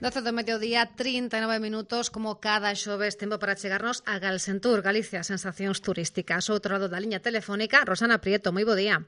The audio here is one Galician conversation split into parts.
12 do mediodía, 39 minutos, como cada xoves, tempo para chegarnos a Galsentur, Galicia, sensacións turísticas. Outro lado da liña telefónica, Rosana Prieto, moi bo día.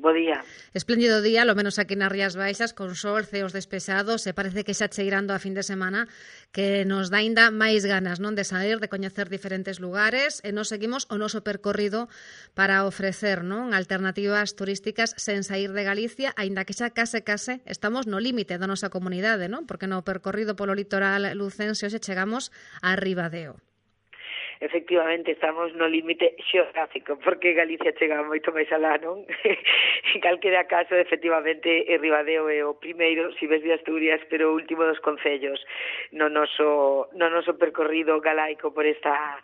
Bo día. Espléndido día, lo menos aquí nas Rías Baixas, con sol, ceos despexados, e parece que xa cheirando a fin de semana que nos dá ainda máis ganas, non, de sair, de coñecer diferentes lugares, e nos seguimos o noso percorrido para ofrecer, non, alternativas turísticas sen sair de Galicia, aínda que xa case estamos no límite da nosa comunidade, non? Porque no percorrido polo litoral lucense hoxe chegamos a Ribadeo. Efectivamente, estamos no límite xeográfico, porque Galicia chega moito máis alá, non? En calquera caso, efectivamente, Ribadeo é o primeiro, si ves de Asturias, pero o último dos concellos no noso percorrido galaico por esta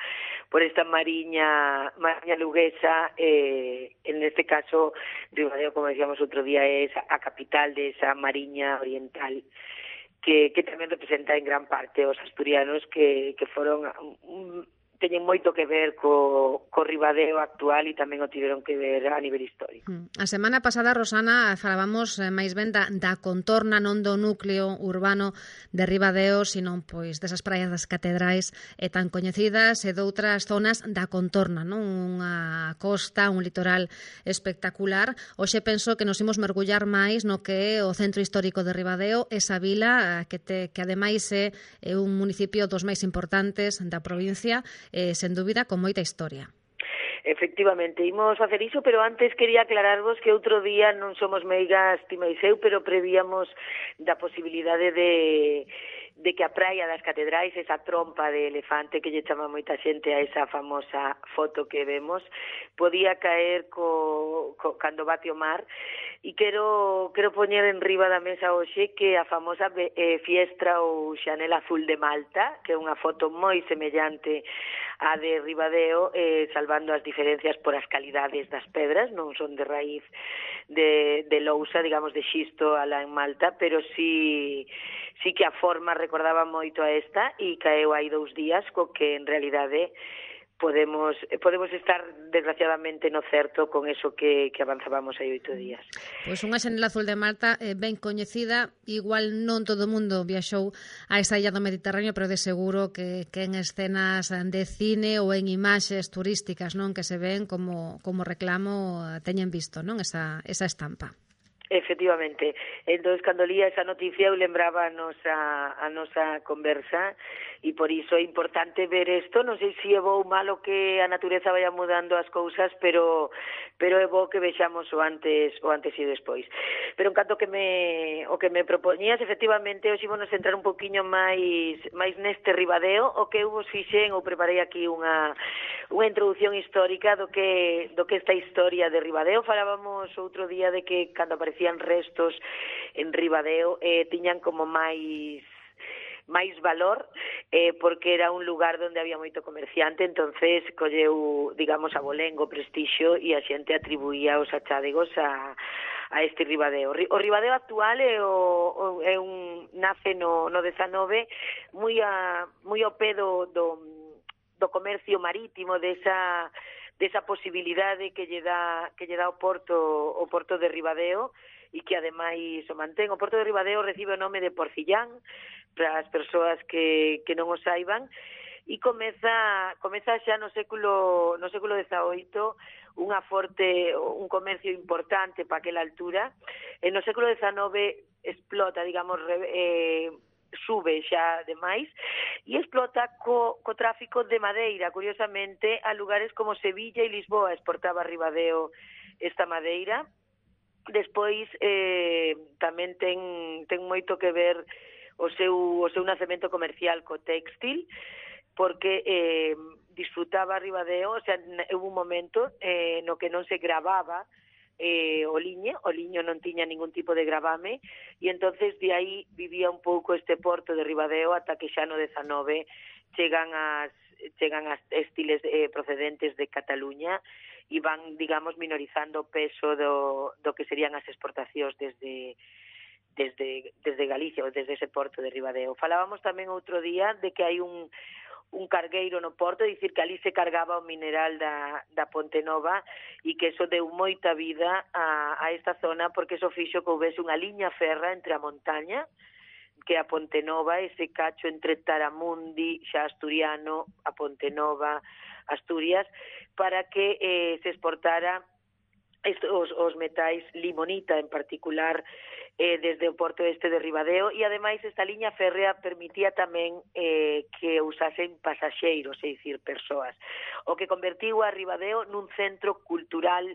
mariña luguesa. En este caso, Ribadeo, como decíamos outro día, é a capital de esa mariña oriental, que tamén representa en gran parte os asturianos que foron teñen moito que ver co Ribadeo actual e tamén o tiveron que ver a nivel histórico. A semana pasada, Rosana, falábamos máis ben da contorna, non do núcleo urbano de Ribadeo, sino pois desas praias das catedrais tan coñecidas e doutras zonas da contorna, non? Unha costa, un litoral espectacular. Hoxe penso que nos imos mergullar máis no que é o centro histórico de Ribadeo, esa vila que ademais é un municipio dos máis importantes da provincia, sen dúbida, con moita historia. Efectivamente, imos facer iso, pero antes quería aclararvos que outro día non somos meigas ti máis eu, pero prevíamos da posibilidade de que a praia das catedrais, esa trompa de elefante que lle chama moita xente a esa famosa foto que vemos, podía caer cando bate o mar. E quero poñer en riba da mesa hoxe que a famosa fiestra ou Xanel Azul de Malta, que é unha foto moi semellante á de Ribadeo, salvando as diferencias por as calidades das pedras, non son de raíz de lousa, digamos, de xisto alá en Malta, pero sí que a forma recordaba moito a esta e caeu hai 2 días, co que en realidade podemos estar desgraciadamente no certo con eso que avanzábamos hai 8 días. Pois unha Xanel Azul de Malta ben coñecida, igual non todo o mundo viaxou a esa illa do Mediterráneo, pero de seguro que en escenas de cine ou en imaxes turísticas, non, que se ven como reclamo, teñen visto, non, esa estampa. Efectivamente. Entón, cando lía esa noticia, eu lembraba a nosa conversa, e por iso é importante ver isto. Non sei se é bo ou malo que a natureza vaya mudando as cousas, pero é bo que vexamos o antes e despois. Pero en canto o que me propoñías, efectivamente, hoxe ímonos entrar un poquinho máis neste Ribadeo, o que eu vos fixen, ou preparei aquí unha introducción histórica do que esta historia de Ribadeo. Falábamos outro día de que cando aparecían restos en Ribadeo tiñan como máis valor, porque era un lugar onde había moito comerciante, entonces colleu, digamos, abolengo, prestixio, e a xente atribuía os achádegos a este Ribadeo. O Ribadeo actual nace no 19, moi ao pé do comercio marítimo, desa posibilidade que lle dá o porto de Ribadeo, e que ademais o mantén. O porto de Ribadeo recibe o nome de Porcillán, para as persoas que non o saiban, e comeza xa no século XVIII un comercio importante para aquela altura. No século XIX explota, digamos, sube xa demais, e explota co tráfico de madeira. Curiosamente, a lugares como Sevilla e Lisboa exportaba Ribadeo esta madeira. Despois tamén ten moito que ver o seu nacemento comercial co téxtil, porque disfrutaba Ribadeo, o sea, houve un momento no que non se gravaba o liño non tiña ningún tipo de gravame, e entonces de aí vivía un pouco este porto de Ribadeo ata que xa no 19 chegan as textiles procedentes de Cataluña e van, digamos, minorizando o peso do que serían as exportacións desde Galicia ou desde ese porto de Ribadeo. Falábamos tamén outro día de que hai un cargueiro no porto, dicir que ali se cargaba o mineral da Ponte Nova, e que eso deu moita vida a esta zona, porque eso fixo que houvese unha liña ferra entre a montaña, que a Ponte Nova, ese cacho entre Taramundi, xa asturiano, a Ponte Nova, Asturias, para que se exportara os metais limonita en particular desde o porto este de Ribadeo, e ademais esta liña férrea permitía tamén que usasen pasaxeiros, é dicir, persoas, o que convertiu a Ribadeo nun centro cultural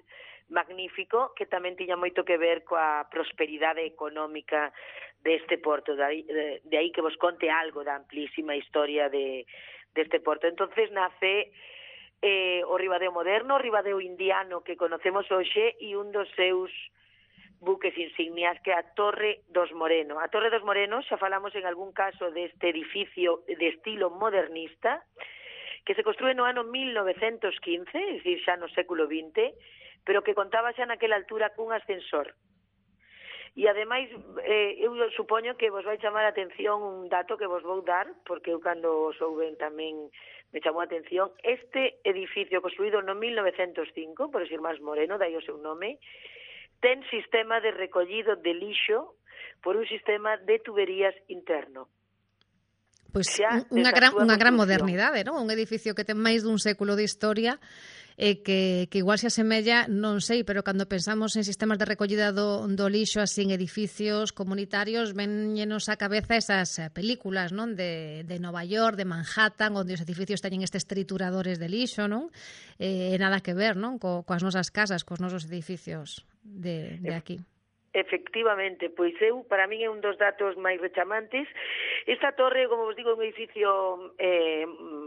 magnífico que tamén tiña moito que ver coa prosperidade económica deste porto, de aí que vos conte algo da amplísima historia deste porto. Entonces nace o Ribadeo moderno, o Ribadeo indiano que conocemos hoxe, e un dos seus buques insignias que é a Torre dos Moreno. A Torre dos Morenos, xa falamos en algún caso deste edificio de estilo modernista, que se construe no ano 1915, é dicir, xa no século XX, pero que contaba xa naquela altura cun ascensor. E ademais, eu supoño que vos vai chamar a atención un dato que vos vou dar, porque eu cando o souben tamén me chamou a atención. Este edificio construído no 1905, por os irmáns Moreno, dai o seu nome, ten sistema de recollido de lixo por un sistema de tuberías interno. Pois unha gran modernidade, non? Un edificio que ten máis dun século de historia, que igual se asemella, non sei, pero cando pensamos en sistemas de recollida do lixo así en edificios comunitarios, vennos á cabeza esas películas, non? De Nova York, de Manhattan, onde os edificios teñen estes trituradores de lixo, non? Nada que ver, non? Coas nosas casas, cos nosos edificios de aquí. Efectivamente, pois para min é un dos datos máis rechamantes. Esta torre, como vos digo, é un edificio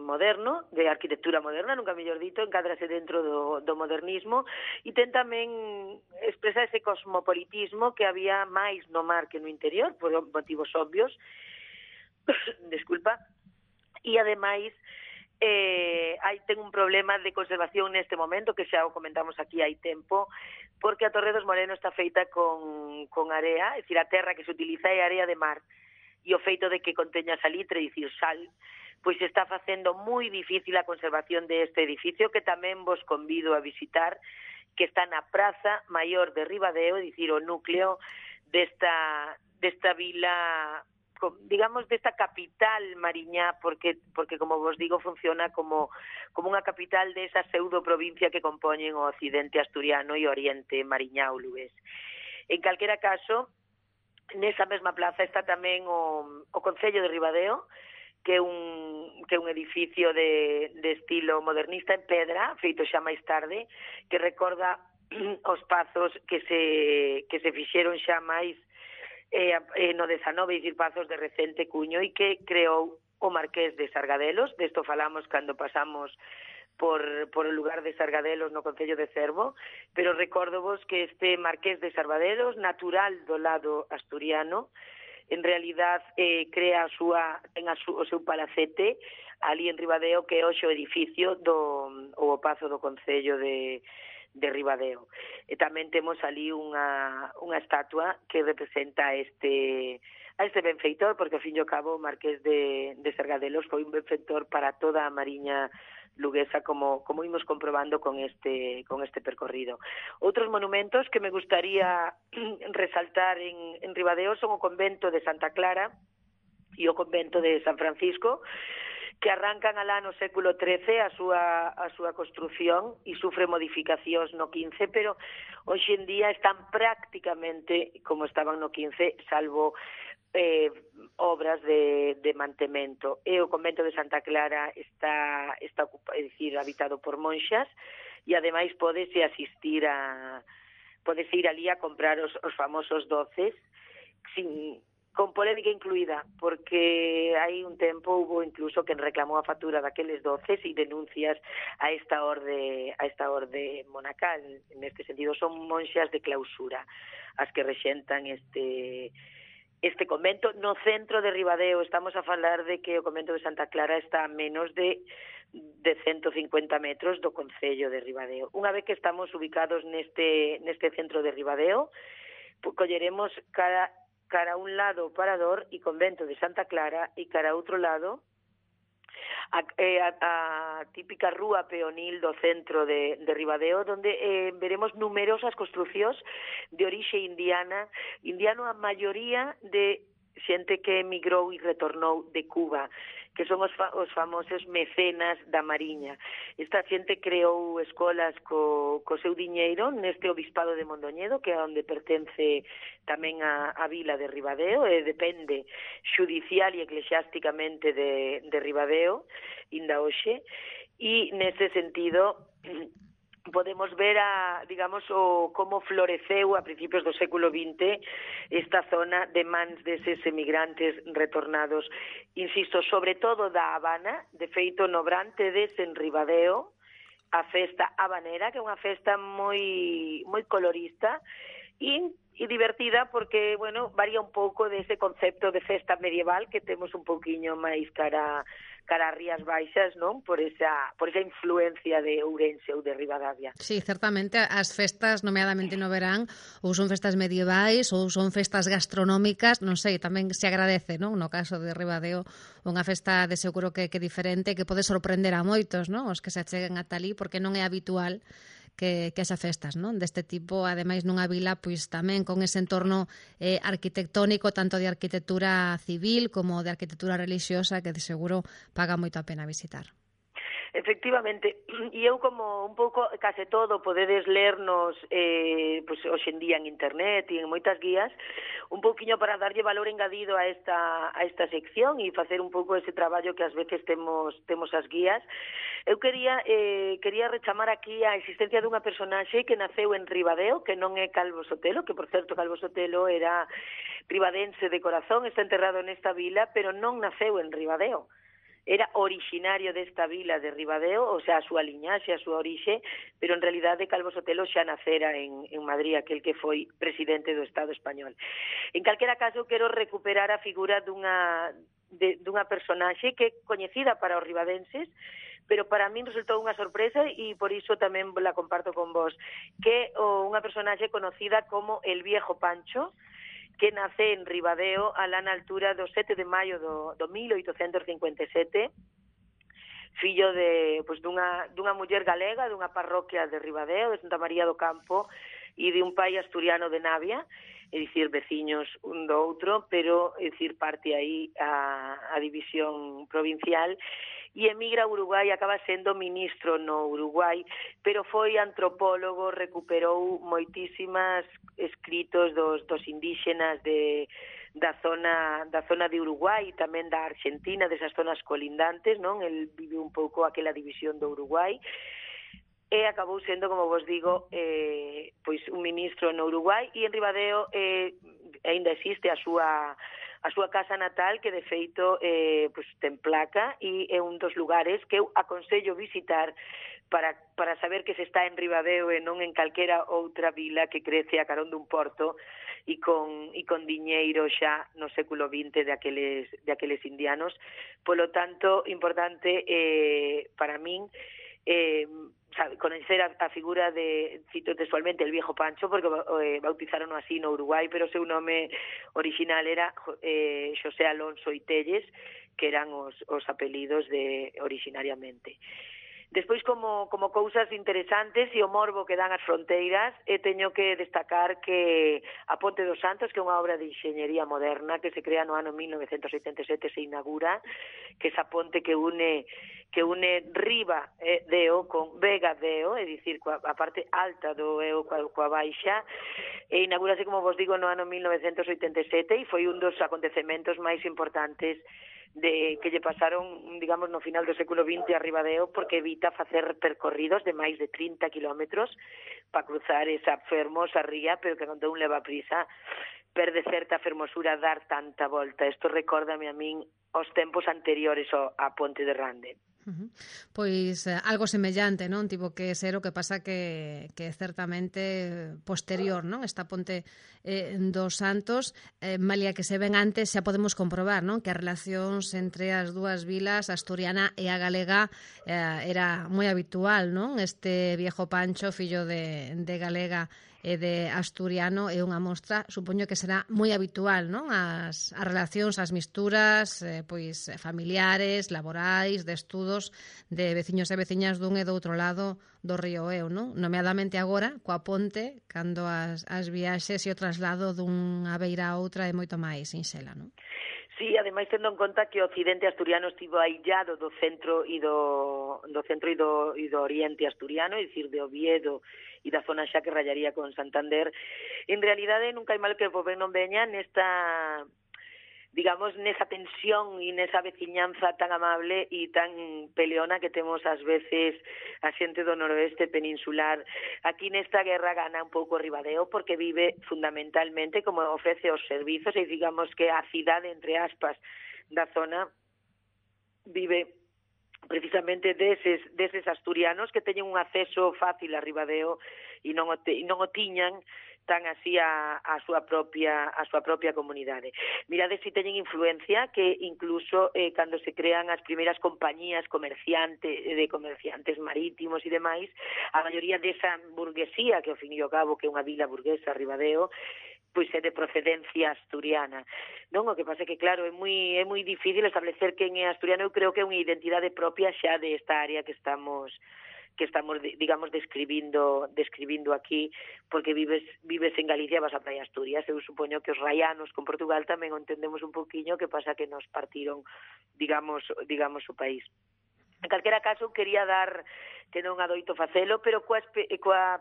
moderno, de arquitectura moderna, nunca mellor dito, encadrase dentro do modernismo, e ten tamén expresa ese cosmopolitismo que había máis no mar que no interior, por motivos obvios, desculpa, e ademais ten un problema de conservación neste momento, que xa o comentamos aquí hai tempo, porque a Torre dos Moreno está feita con area, é dicir, a terra que se utiliza é area de mar, e o feito de que conteña salitre, é dicir, sal, pois está facendo moi difícil a conservación deste edificio, que tamén vos convido a visitar, que está na Praza Maior de Ribadeo, é dicir, o núcleo desta vila, digamos, desta capital mariñá, porque como vos digo, funciona como unha capital desa pseudo-provincia que compoñen o occidente asturiano e o oriente mariñá ou lugués. En calquera caso, nesa mesma plaza está tamén o Concello de Ribadeo, que é un edificio de estilo modernista en pedra, feito xa máis tarde, que recorda os pazos que se fixeron xa máis no 19, dicir, pazos de recente cuño, e que creou o Marqués de Sargadelos. Desto falamos cando pasamos por o lugar de Sargadelos no Concello de Cervo, pero recórdovos que este Marqués de Sargadelos, natural do lado asturiano, en realidad crea o seu palacete ali en Ribadeo, que é hoxe o edificio o pazo do Concello de Ribadeo. E tamén temos ali unha estatua que representa a este benfeitor, porque ao fin e ao cabo o Marqués de Sargadelos foi un benfeitor para toda a mariña luguesa, como imos comprobando con este percorrido. Outros monumentos que me gustaría resaltar en Ribadeo son o convento de Santa Clara e o convento de San Francisco, que arrancan alá no século XIII a súa construción e sufre modificacións no XV, pero hoxe en día están prácticamente como estaban no XV, salvo obras de mantemento. E o convento de Santa Clara está ocupado, é dicir, habitado por monxas, e ademais podese ir ali a comprar os famosos doces con polémica incluída, porque hai un tempo hubo incluso quen reclamou a factura daqueles doces e denuncias a esta orde monacal. Neste sentido, son monxas de clausura as que rexentan este convento no centro de Ribadeo. Estamos a falar de que o convento de Santa Clara está a menos de 150 metros do Concello de Ribadeo. Unha vez que estamos ubicados neste centro de Ribadeo, colleremos cara a un lado o Parador e convento de Santa Clara, e cara a outro lado a típica rúa peonil do centro de Ribadeo, donde veremos numerosas construcións de orixe indiano, a maioría de xente que emigrou e retornou de Cuba, que son os famosos mecenas da Mariña. Esta xente creou escolas co seu diñeiro neste obispado de Mondoñedo, que é onde pertence tamén a vila de Ribadeo, e depende xudicial e eclesiásticamente de Ribadeo, inda hoxe, e nese sentido podemos ver como floreceu a principios do século XX esta zona de mans deses emigrantes retornados, insisto, sobre todo da Habana. De feito, no Brantedes, en Ribadeo, a festa habanera, que é unha festa moi colorista e divertida, porque, bueno, varía un pouco dese concepto de festa medieval que temos un pouquiño máis cara a Rías Baixas, non? Por esa influencia de Ourense ou de Ribadavia. Sí, certamente as festas, nomeadamente no verán, ou son festas medievais ou son festas gastronómicas, non sei, tamén se agradece, non? No caso de Ribadeo, unha festa de seguro que diferente, que pode sorprender a moitos, non? Os que se acheguen ata ali, porque non é habitual que as festas, non? Deste tipo, ademais nunha vila pois tamén con ese entorno arquitectónico, tanto de arquitectura civil como de arquitectura religiosa, que de seguro paga moito a pena visitar. Efectivamente, e eu como un pouco case todo podedes lernos pois hoxe en día en internet e en moitas guías, un pouquiño para darlle valor engadido a esta sección e facer un pouco ese traballo que ás veces temos as guías. Eu quería rechamar aquí a existencia dunha personaxe que naceu en Ribadeo, que non é Calvo Sotelo, que por certo Calvo Sotelo era ribadense de corazón, está enterrado nesta vila, pero non naceu en Ribadeo. Era originario desta vila de Ribadeo, o sea, a súa liñaxe, a súa orixe, pero en realidade Calvo Sotelo xa nacera en Madrid, aquel que foi presidente do Estado español. En calquera caso, quero recuperar a figura dunha personaxe que é coñecida para os ribadenses, pero para min resultou unha sorpresa e por iso tamén la comparto con vos, que é unha personaxe conocida como el Viejo Pancho, que nace en Ribadeo alá na altura do 7 de maio do 1857, fillo dunha muller galega, dunha parroquia de Ribadeo, de Santa María do Campo, e de un pai asturiano de Navia, é dicir, veciños un do outro, pero, é dicir, parte aí a división provincial, e emigra a Uruguai, acaba sendo ministro no Uruguai, pero foi antropólogo, recuperou moitísimas escritos dos indígenas da zona de Uruguai e tamén da Argentina, desas zonas colindantes, non? El vive un pouco aquela división do Uruguai, e acabou sendo, como vos digo, pois un ministro no Uruguai, e en Ribadeo aínda existe a súa casa natal, que de feito pois ten placa, e é un dos lugares que eu aconsello visitar para saber que se está en Ribadeo e non en calquera outra vila que crece a carón dun porto e con diñeiro xa no século XX de aqueles indianos. Polo tanto, importante para min conocer a figura de, cito textualmente, el Viejo Pancho, porque bautizaron así no Uruguai, pero o seu nome original era Xosé Alonso Itelles, que eran os apelidos originariamente. Despois, como cousas interesantes e o morbo que dan as fronteiras, teño que destacar que a Ponte dos Santos, que é unha obra de enxeñería moderna que se crea no ano 1987, se inaugura, que esa ponte que une Riba Deo con Vega Deo, é dicir, a parte alta do Eo coa baixa, e inaugurase, como vos digo, no ano 1987, e foi un dos acontecementos máis importantes que lle pasaron, digamos, no final do século XX a Ribadeo, porque evita facer percorridos de máis de 30 kilómetros para cruzar esa fermosa ría, pero que cando un leva prisa perde certa fermosura dar tanta volta. Isto recórdame a min os tempos anteriores á Ponte de Rande. Pois algo semellante, non? Tivo que ser, o que pasa que certamente posterior, non? Esta Ponte dos Santos, malia que se ven antes, xa podemos comprobar, non? Que as relacións entre as dúas vilas, a asturiana e a galega, era moi habitual, non? Este Viejo Pancho, fillo de galega e de asturiano é unha mostra, supoño que será moi habitual, non? As relacións, as misturas, pois familiares, laborais, de estudos, de veciños e veciñas dun e do outro lado do río Eu, non? Nomeadamente agora, coa ponte, cando as viaxes e o traslado dunha beira a outra é moito máis sinxela, non? Sí, ademais tendo en conta que o occidente asturiano estivo aillado do centro e do oriente asturiano, é dicir, de Oviedo e da zona xa que rallaría con Santander, en realidade nunca hai mal que o poder non veña nesta, digamos, nesa tensión e nesa veciñanza tan amable e tan peleona que temos ás veces a xente do noroeste peninsular. Aquí nesta guerra gana un pouco Ribadeo porque vive fundamentalmente como ofrece os servizos e digamos que a cidade, entre aspas, da zona vive precisamente deses asturianos que teñen un acceso fácil a Ribadeo e non o tiñan tan así a súa propia comunidade. Mirade se teñen influencia que incluso cando se crean as primeiras compañías de comerciantes marítimos e demais, a maioría desa burguesía, que ao fin e ao cabo que é unha vila burguesa, Ribadeo, pois é de procedencia asturiana. Non, o que pasa é que claro, é moi difícil establecer quen é asturiano. Eu creo que é unha identidade propia xa de esta área que estamos digamos describindo aquí, porque vives en Galicia, vas a Praia Asturias. Eu supoño que os raianos con Portugal tamén o entendemos un poquinho, que pasa que nos partiron, digamos o país. En calquera caso, quería dar, que non adoito facelo, pero coa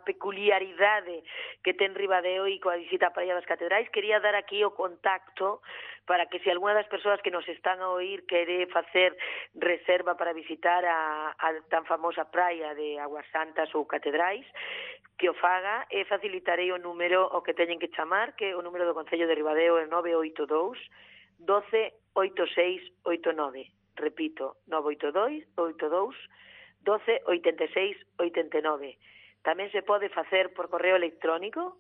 peculiaridade que ten Ribadeo e coa visita á Praia das Catedrais, quería dar aquí o contacto para que se algunha das persoas que nos están a oír quere facer reserva para visitar a tan famosa praia de Aguas Santas ou Catedrais, que o faga, e facilitarei o número o que teñen que chamar, que o número do Concello de Ribadeo é 982 12 86 89. Repito, 982 12 86 89. Tamén se pode facer por correo electrónico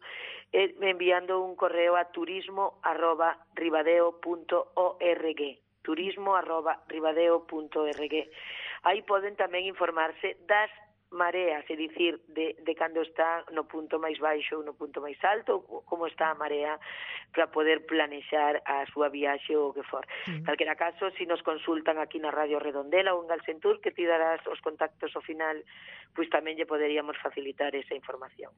enviando un correo a turismo@ribadeo.org, turismo@ribadeo.org. Aí poden tamén informarse das mareas, é dicir, de cando está no punto máis baixo ou no punto máis alto, como está a marea, para poder planexar a súa viaxe ou o que for. Calquera caso, se nos consultan aquí na Radio Redondela ou en Galsentur, que ti darás os contactos ao final, pois tamén lle poderíamos facilitar esa información.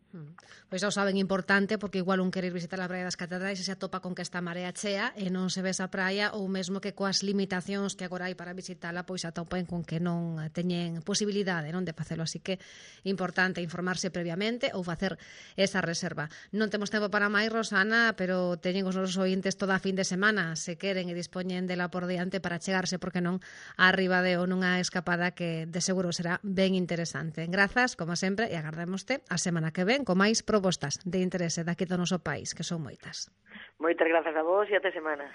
Pois xa o saben, importante, porque igual un querer visitar a Praia das Catedrais e se atopa con que está a marea chea e non se ve esa praia, ou mesmo que coas limitacións que agora hai para visitala, pois atopen con que non teñen posibilidade, non, de facelo. Así que importante informarse previamente ou facer esa reserva. Non temos tempo para máis, Rosana, pero teñen os nosos ointes toda a fin de semana, se queren e dispoñen dela por diante para chegarse, porque non, a Ribadeo nunha escapada que de seguro será ben interesante. Grazas, como sempre, e agardámoste a semana que ven con máis propostas de interese daqui do noso país, que son moitas. Moitas grazas a vos e até semana.